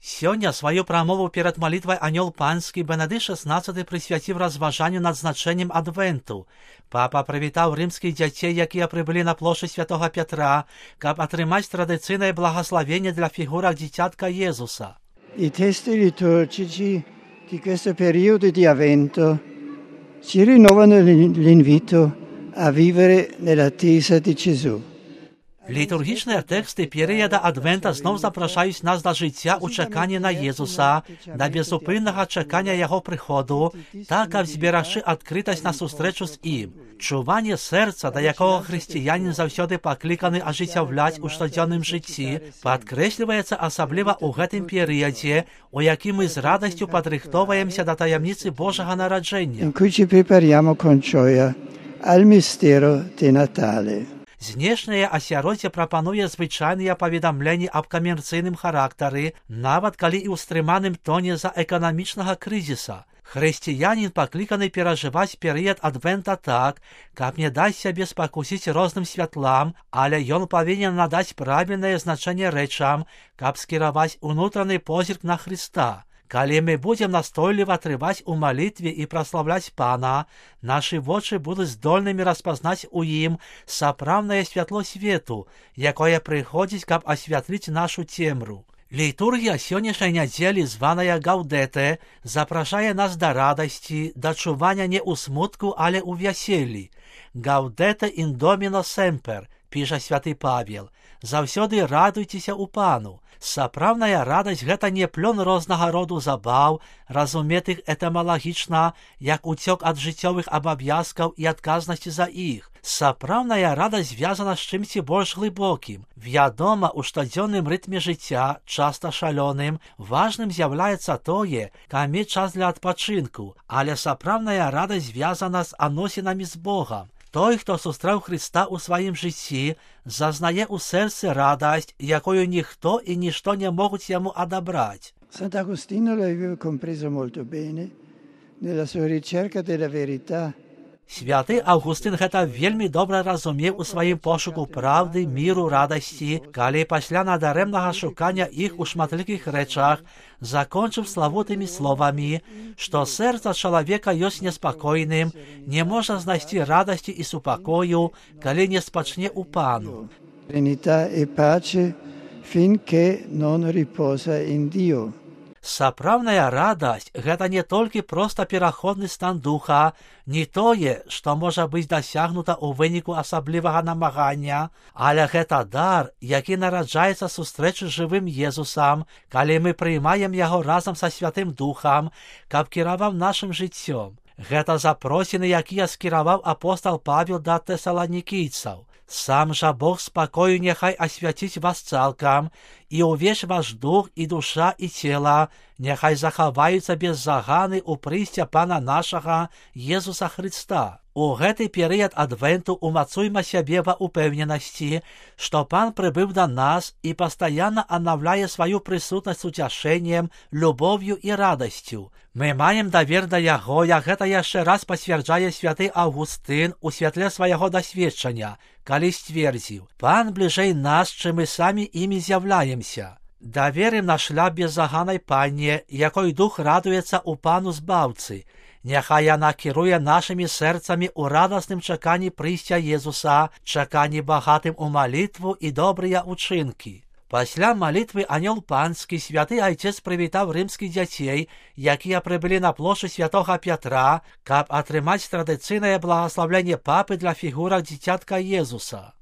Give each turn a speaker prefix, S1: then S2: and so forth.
S1: Сёння сваю прамову перад малітвай анёл панскі Бенедыкт XVI прысвяціў разважанню над значэннем адвенту. Папа прывітаў рымскіх дзяцей, якія прыбылі на плошчу Святога Петра, каб атрымаць традыцыйнае благословение для фігурак дзіцятка Єзуса.
S2: I testi liturgici di questo periodo di avvento ci rinnovano l'invito a vivere nell'attesa di Gesù.
S1: Літургічныя тэксты перыяда адвента зноў запрашаюць нас да жыцця ў чаканні на Езуса, да безупыннага чакання яго прыходу, так, каб зберагчы адкрытасць на сустрэчу з ім. Чуванне сэрца, да якога хрысціянін заўсёды пакліканы ажыццяўляць у штодзённым жыцці, падкрэсліваецца асабліва ў гэтым перыядзе, у якім мы з радасцю падрыхтоўваемся да таямніцы Божага нараджэння.
S2: In cui ci prepariamo con gioia al mistero di Natale.
S1: Знешняе асяроддзе прапануе звычайныя паведамленні аб камерцыйным характары, нават калі і ў стрыманым тоне за эканамічнага крызіса. Хрысціянін пакліканы перажываць перыяд адвента так, каб не даць сябе спакусіць розным святлам, але ён павінен надаць правільнае значэнне рэчам, каб скіраваць унутраны позірк на Хрыста. Калі мы будзем настойліва трываць у малітве і праслаўляць Пана, нашы вочы будуць здольнымі распазнаць у ім сапраўднае святло свету, якое прыходзіць, каб асвятліць нашу цемру. Літургія сённяшняй нядзелі, званая Гаўдэте, запрашае нас да радасці, да чування не ў смутку, але ў вяселлі. Гаўдэте ін доміно семпер, піша святы Павел. Заўсёды радуйцеся ў Пану. Сапраўдная радасць — гэта не плён рознага роду забаў, разуметых этымалагічна, як уцёк ад жыццёвых абавязкаў і адказнасці за іх. Сапраўдная радасць звязана з чымсьці больш глыбокім. Вядома, у штодзённым рытме жыцця, часта шалёным, важным з'яўляецца тое, каб мець час для адпачынку, але сапраўдная радасць звязана з адносінамі з Богам. Той, хто сустрэў Хрыста ў сваім жыцці, зазнае ў сэрцы радасць, якую ніхто і нішто не могуць яму адабраць.
S2: Sant'Agostino l'aveva compreso molto bene nella sua ricerca della verità.
S1: Святы Аўгустын гэта вельмі добра разумеў у сваім пошуку праўды, міру, радасці, калі пасля надарэмнага шукання іх у шматлікіх рэчах закончыў славутымі словамі, што сэрца чалавека ёсць неспакойным, не можа знайсці радасці і супакою, калі не спачне ў Пану.
S2: Serenità e pace finché non riposa in Dio.
S1: Сапраўдная радасць — гэта не толькі проста пераходны стан духа, не тое, што можа быць дасягнута ў выніку асаблівага намагання, але гэта дар, які нараджаецца сустрэчы з жывым Езусам, калі мы прыймаем яго разам са Святым Духам, каб кіраваў нашым жыццём. Гэта запросіны, якія скіраваў апостал Павел да тэсаланікійцаў. Сам жа Бог спакою няхай асвяціць вас цалкам, і ўвесь ваш дух і душа і цела няхай захаваюцца без заганы ў прыйсця Пана нашага Езуса Хрыста. У гэты перыяд адвенту умацуйма сябе ва ўпэўненасці, што Пан прыбыў да нас і пастаянна аднаўляе сваю прысутнасць уцяшэннем, любоўю і радасцю. Мы маем давер да яго, як гэта яшчэ раз пацвярджае святы Аўгустын у святле свайго дасведчання, калі сцвердзіў: Пан бліжэй нас, чым мы самі імі з'яўляемся. Даверым наш шлях беззаганай Панне, якой дух радуецца ў Пану Збаўцы. Няхай яна кіруе нашымі сэрцамі ў радасным чаканні прыйсця Езуса, чаканні багатым у малітву і добрыя ўчынкі. Пасля малітвы анёл панскі святы айцец прывітаў рымскіх дзяцей, якія прыбылі на плошчу Святога Пятра, каб атрымаць традыцыйнае благаслаўленне папы для фігурак дзіцятка Езуса.